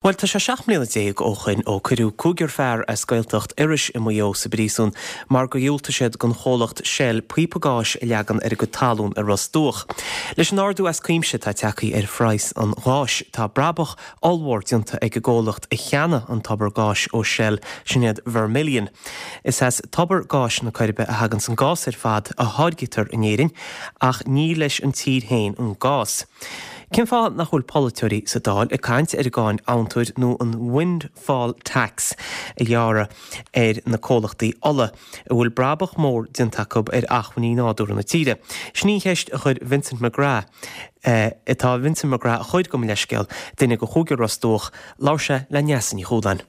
Bhuel, tá sé 17 mbliana ó shoin ó cuireadh cúigear fear as Gaeltacht Iorrais i Maigh Eo sa bpríosún mar gur dhiúltaigh siad don chomhlacht Shell píopa gáis a leagan ar a gcuid talún i Ros Dumhach. Leis an ardú as cuimse atá tagtha ar phraghas an gháis, tá brabach ollmhór déanta ag an gcomhlacht a cheannaigh an tobar gáis ó Shell, sin iad Vermilion. Is as tobar gáis na Coiribe a thaganns an gás ar fad a tháirgtear in Éirinn, ach ní leis an tír féin an gás. Cén fáth nach bhfuil polaiteoirí sa Dáil ag caint ar an gcáin amhantair nó an windfall tax a ghearradh ar na comhlachtaí ola, a bhfuil brabach mór déanta acu ar acmhainní nádúrtha na tíre? Sin í an cheist a chuir Vincent McGrath, atá Vincent McGrath a chuir, gabh mo leithscéal, duine de chúigear Ros Dumhach, labhair sé le Neasa Ní Chualáin.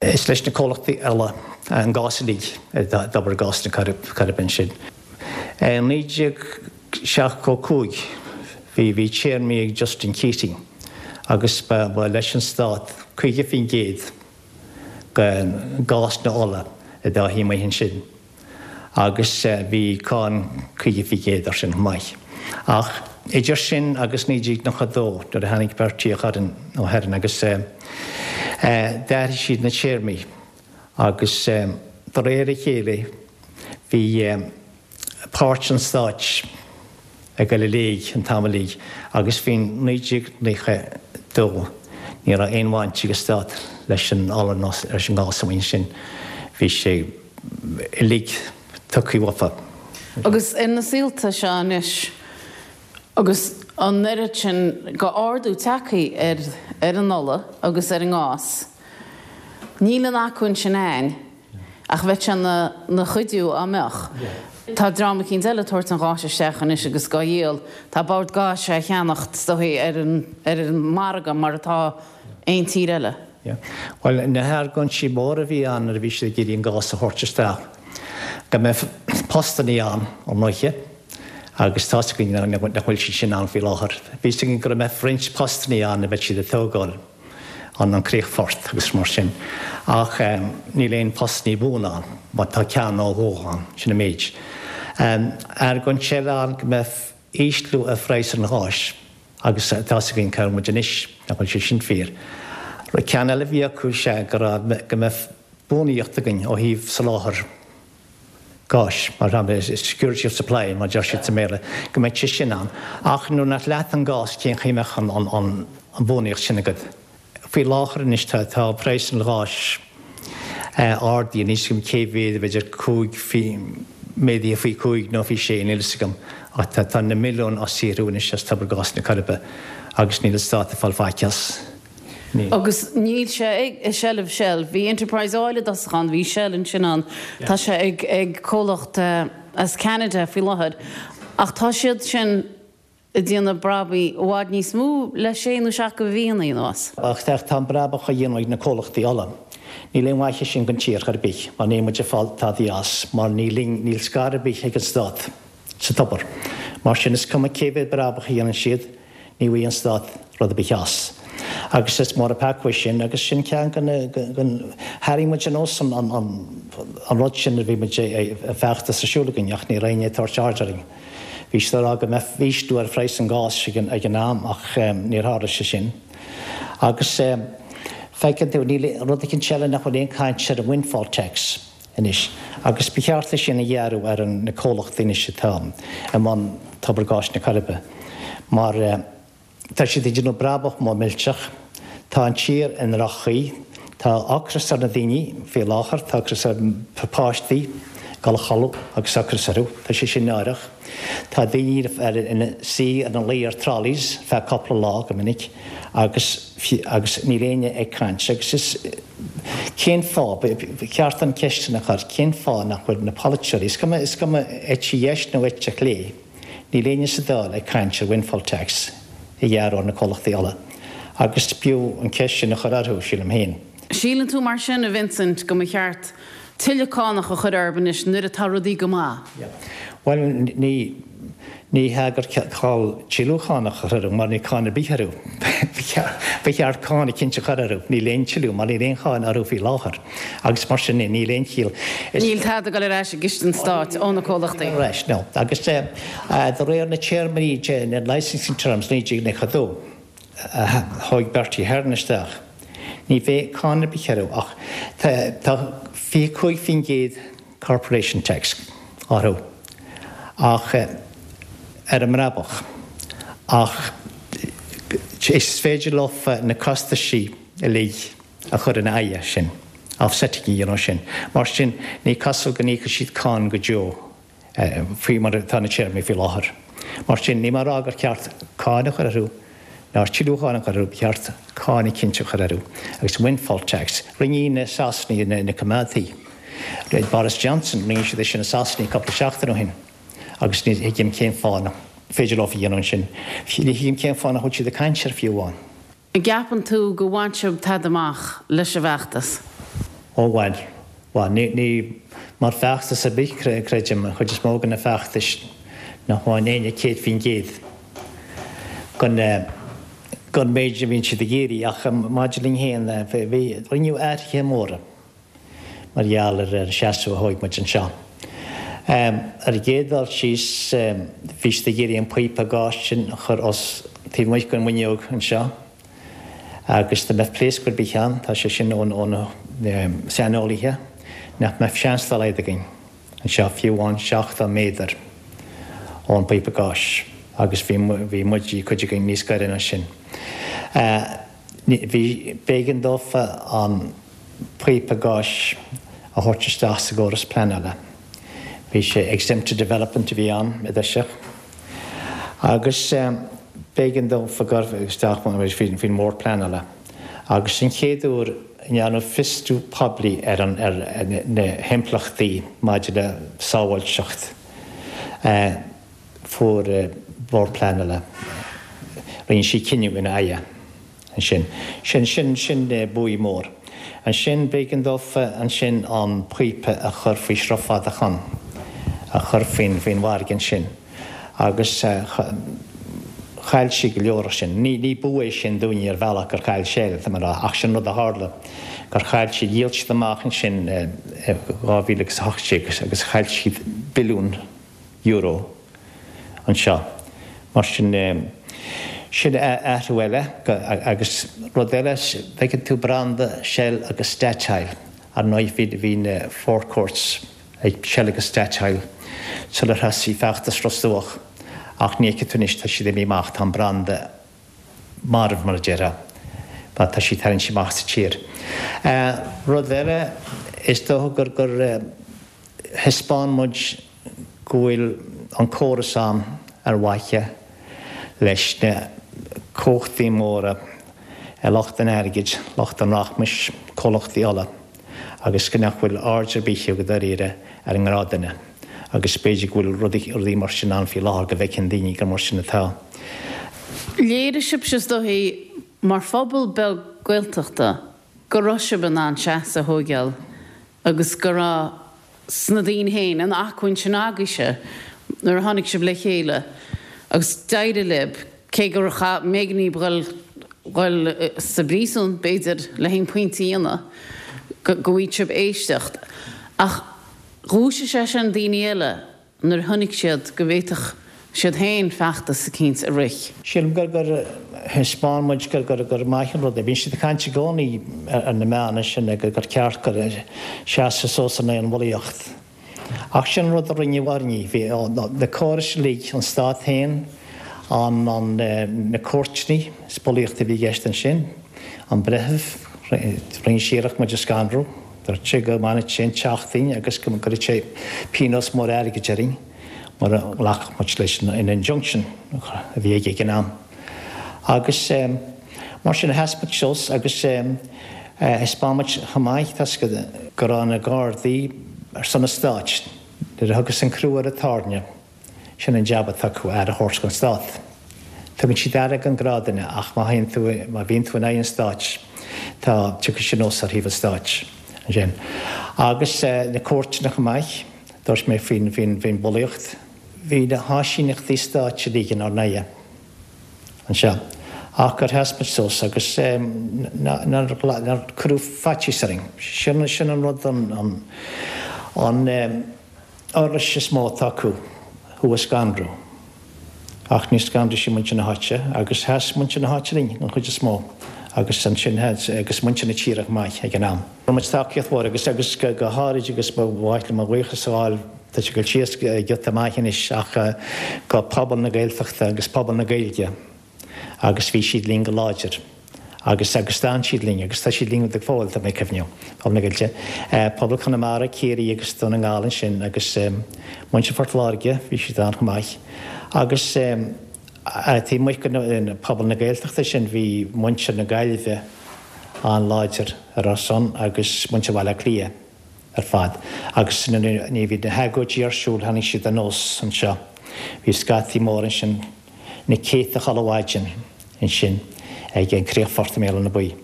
Is leis na comhlachtaí ola an gás uilig i dtobar gáis na Coiribe ansin. I 1975 bhí bhí téarmaí ag Justin Keating agus ba leis an stát 50% den gás nó ola atá amuigh ansin. agus bhí cáin 50% air sin chomh maith. Ach idir sin agus 1992 nuair a tháinig Bertie Ahern agus d'athraigh siad na téarmaí agus de réir a chéile bhí páirt an stáit ag dul i léig an t-am uilig agus faoin 1992 ní raibh aon bhaint ag an stát leis an ola ná leis an ngás amuigh ansin. Bhí sé uilig tugtha uafa. Agus ar na saolta seo anois agus an oiread sin go ardú tagtha ar ar an ola agus ar an ngás, níl an acmhainn sin a'ainn. Ach bheadh sé 'na chuidiú á mbeadh. Tá dream eicínt eile ag tabhairt an gháis isteach anois agus dhá dhíol. Tá Bord Gáis á cheannacht is dóichí ar an ar an margadh mar atá aon tír eile. Bhuel, na hargóintí móra a bhí ann nuair a bhí siad ag iarraidh an gás a thabhairt isteach, go mbeadh postannaí ann ar ndóiche, agus tá's againn nach bhfuil siad sin ann faoi láthair. Bhí 'fhios againn go mbeadh roinnt postannaí ann a bheadh siad ag tógáil. an críochfort agus mar sin ach níl aon postannaí buan ann, má tá ceann nó dhó ann, sin an méid. Argóint eile ann go mbeadh ísliú ar phraghas an gháis agus tá's againn cá bhfuil muid anois, nach bhfuil sé sin fíor. Ceann eile a bhí acu is ea go raibh, go mbeadh buanaíocht againn ó thaobh soláthar gáis, mar shampla, security of supply mar a deir siad sa mBéarla, go mbeadh sé sin ann. Ach nuair nach leat an gás, cén chaoi a mbeadh an bhuanaíocht sin agat? Faoi láthair anois tá praghas an gháis ardaithe, níl 'fhios agam cé mhéad, b'fhéidir cúig, méadaithe faoi chúig nó faoi sé, níl 'fhios agam, ach tá na milliúin á saothrú anois as Tobar Gáis na Coiribe agus níl an Stát ag fáil faic as. Níl. Agus níl sé i seilbh Shell. Bhí Enterprise Oil i dtosach ann, bhí Shell ansin ann, tá sé ag ag comhlacht as Ceanada faoi láthair. Ach tá siad sin ag déanamh brabaigh i bhfad níos mó le sé nó seacht de mhíonna anuas. Ach tá an brabach á dhéanamh ag na comhlachtaí ola. Níl aon mhaith sin don tír chor ar bith mar níl muid ag fáil tadaí as mar níl níl scair ar bith ag an stát sa tobar. Mar sin is cuma cé mhéad brabach a dhéanann siad, Ní bhfaighidh an stát rud ar bith as. Agus is mór an peaca é sin agus sin ceann de na, tharraing muid anuas an rud sin nuair a bhí muid ag feachtas ar siúl againn ach ní raibh éinne ag tabhairt aird orainn. Bhí siad ag rá go mbeadh ísliú ar phraghas an gáis ag an am ach níor tharla sé sin. Agus feiceann tú, níl, rud eicínt eile nach bhfuil aon caint ar an windfall tax. anois agus ba cheart é sin a ghearradh ar na comhlachtaí anois atá i mbun Tobar Gáis na Coiribe mar tá siad ag déanamh brabach mór millteach, tá an tír i ndroch-chaoi, tá ocras ar na daoine faoi láthair, tá ocras ar páistí ag dul a chodladh agus ocras orthu, tá sé sin náireach. Tá daoine ina suí ina luí ar trolleys feadh cúpla lá go minic agus agus níl éinne ag caint agus is Cén fáth, ba cheart an cheist sin a chur, cén fáth nach bhfuil na polaiteoirí, is cuma, is cuma eite dheis nó eite chlé, níl éinne sa Dáil ag caint ar windfall tax a ghearradh ar na comhlachtaí ola. Agus b'fhiú an cheist sin a chur orthu, sílim féin. Síleann tú mar sin, a Vincent, go mba cheart tuilleadh cánach a chur orthu anois nuair atá rudaí go maith? Bhuel, ní. Ní hea gur call tuilleadh cánach a chur orthu mar níl cáin ar bith orthu. Ba cheart cáin eicínt a chur orthu. Níl aon tuilleadh mar níl aon cháin orthu faoi láthair agus mar sin níl aon chiall. Níl tada ag dul ar ais i gciste an stáit ó na comhlachtaí. Ar ais, no. Agus de réir na téarmaí, na licensing terms 1992. a thóig Bertie Ahern isteach, ní bheidh cáin ar bith orthu ach tá 25% corporation tax orthu ach ar an mbrabach ach is féidir leo na costaisí uilig a chur ina aghaidh sin, offsetting a dhéanamh sin. Mar sin ní cosúil go n-íocfaidh siad cáin go deo. faoi mar atá na téarmaí faoi láthair. Mar sin, níl mé ag rá gur cheart cáin a chur orthu, ná tuilleadh cáin a chur orthu, ba cheart cáin eicínt a chur orthu. Agus windfall tax, rinne na Sasanaigh, na coimeádaithe, Boris Johnson, rinne siad é sin i Sasana cúpla seachtain ó shin agus ní thuigim cén fáth nach féidir leo a dhéanamh ansin. Ní thuigim cén fáth nach bhfuil siad ag caint air fiú amháin. An gceapann tú gur bhain sibh tada amach leis an bhfeachtas? Ó bhuel, bhuel, ní, ní, mar feachtas ar bith, creidim, an chuid is mó de na feachtais nach bhfaigheann éinne 100% den, den méid a bhíonn siad ag iarraidh ach maidir linn féin, bhí, rinneadh athruithe móra. mar gheall ar an seasamh a thóig muid anseo. Ar an gcéad dul síos, bhí siad ag iarraidh an píopa gáis sin a chur os taobh amuigh den bhfuinneog anseo agus dá mbeadh pléasc ar bith ann, tá sé sin ó na saineolaithe, nach mbeadh seans dá laghad againn anseo, fiú amháin 70 méadar ón bpíopa gáis agus bhí muid, cuid againn, níos gaire ná sin. Bhí, b'éigean dófa an píopa gáis a thabhairt isteach sa gcóras pleanála. Bhí sé exempted development a bhí ann i dtoiseach agus b'éigean dófa gabháil isteach faoin mBord Pleanála agus an chéad uair a ndearnadh fiosrú poiblí ar an ar na himpleachtaí maidir le sábháilteacht. Fuair Bord Pleanála, rinne siad cinneadh ina aghaidh ansin. Sin, sin, sin buaidh mór. Ansin b'éigean dófa ansin an píopa a chur faoi Shruth Fada Chon, a chur faoin, faoin bhfarraige ansin. Agus chaill siad go leor as sin. Ní, ní bua é sin dúinne ar bhealach gur chaill Shell, tá mé a rá, ach sin rud a tharla, gur chaill siad, dhíol siad amach ansin i 2018 agus chaill siad billiún euro anseo. Mar sin, sin athrú eile agus rud eile, feiceann tú branda Shell agus Statoil, ar ndóigh bhí na forecourts ag Shell agus Statoil sular thosaigh feachtas Ros Dumhach ach ní fheicfidh tú anois, tá siad imithe amach, tá an branda marbh mar a déarfá, mar tá siad tarraingthe amach as an tír. Rud eile, is dócha gur gur thaispeáin muid go bhfuil an córas ann ar mhaithe leis na cumhachtaí móra, lucht an airgid, lucht an rachmais, comhlachtaí ola, agus go nach bhfuil aird ar bith acu dáiríre ar an ngnáthdhuine. Agus b'fhéidir go bhfuil rudaí mar sin ann faoi láthair go bhfeiceann daoine gur mar sin atá. Léirigh sibhse is dóichí mar phobal beag Gaeltachta go raibh sibh in ann seasamh a thóigeáil agus go raibh sna daoine féin, an acmhainn sin agaibhse nuair a tháinig sibh le chéile agus d'éirigh libh, cé gur chaith, mb'éigean daoibh dhul, dhul sa bpríosún, b'fhéidir, le haon pointe a dhéanamh, go, go bhfaigheadh sibh éisteacht. Ach dhúisigh sé sin daoine eile nuair a chonaic siad go bhféadfadh siad féin feachtas eicínt a rith. Sílim gur gur thaispeáin muid gur gur gur maith an rud é. Bíonn siad ag caint i gcónaí ar na meáin ansin gur gur ceart gur seasamh suas in aghaidh an bhulaíocht. Ach sin an rud a rinneadh orainne. Bhí na córais uilig, an stát féin, an an na cúirteanna, is bulaíocht a bhí i gceist ansin, an breitheamh, rinne sé iarracht muid a scanrú. Dúirt sé go mbainfeadh sé an teach dínn agus go gcuirfeadh sé pionós mór airgid orainn mura nglacfadh muid leis an injunction a bhí aige ag an am. Agus mar sin, sheas muid suas agus thaispeáin muid chomh maith, tá a fhios agat, go raibh na Gardaí ar son an Stáit nuair a thiocfas an crú ar an tairne. Sin an jab atá acu, aire a thabhairt don stát. Tugann siad aire don ghnáthdhuine ach má théann tú, má bhíonn tú in aghaidh an stáit, tá, tiocfaidh siad anuas ar thaobh an stáit ansin. Agus na cúirteanna chomh maith, dúirt mé faoin, faoin, faoin bhulaíocht. Bhí na háisíneachtaí stáit uilig inár n-aghaidh anseo ach gur sheas muid suas agus nár, nár cuireadh faitíos orainn. Sin, sin an rud, an, an, an, uirlis is mó atá acu, thú a scanrú. Ach níor scanraigh sé muintir na háite agus sheas muintir na háite linn an chuid is mó agus ansin agus muintir na tíre chomh maith ag an am. Fuair muid tacaíocht mhór agus agus go háirid agus ba mhaith liom mo bhuíochas a ghabháil, tá sé ag dul síos giota maith anois ach go pobal na Gaeltachta agus pobal na Gaeilge agus bhí siad linn go láidir agus agus d'fhan siad linn agus tá siad linn go fóill, tá mé ag cuimhniú, pobal na Gaeilge, pobal Chonamara, Ciarraí agus Dún na nGall ansin agus muintir Phort Láirge, bhí siad ann chomh maith agus taobh amuigh de pobal na Gaeltachta sin bhí muintir na Gaillimhe an-láidir ar ár son agus muintir Bhaile Átha Cliath ar fad agus nuair a bhí na hagóidí ar siúl tháinig siad anuas anseo, bhí scataí móra ansin. na céadta chuile mhaidin ansin ag an críochfort i mBéal Átha na Buí.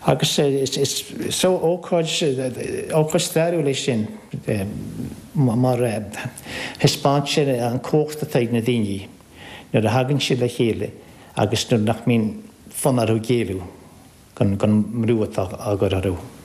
Agus is ócáid, ócáid stairiúil é sin mar thaispeánann sé an cumhacht atá ag na daoine nuair a thagann siad le chéile agus nuair nach mbíonn fonn orthu géilleadh don mbrú atá á gcur orthu.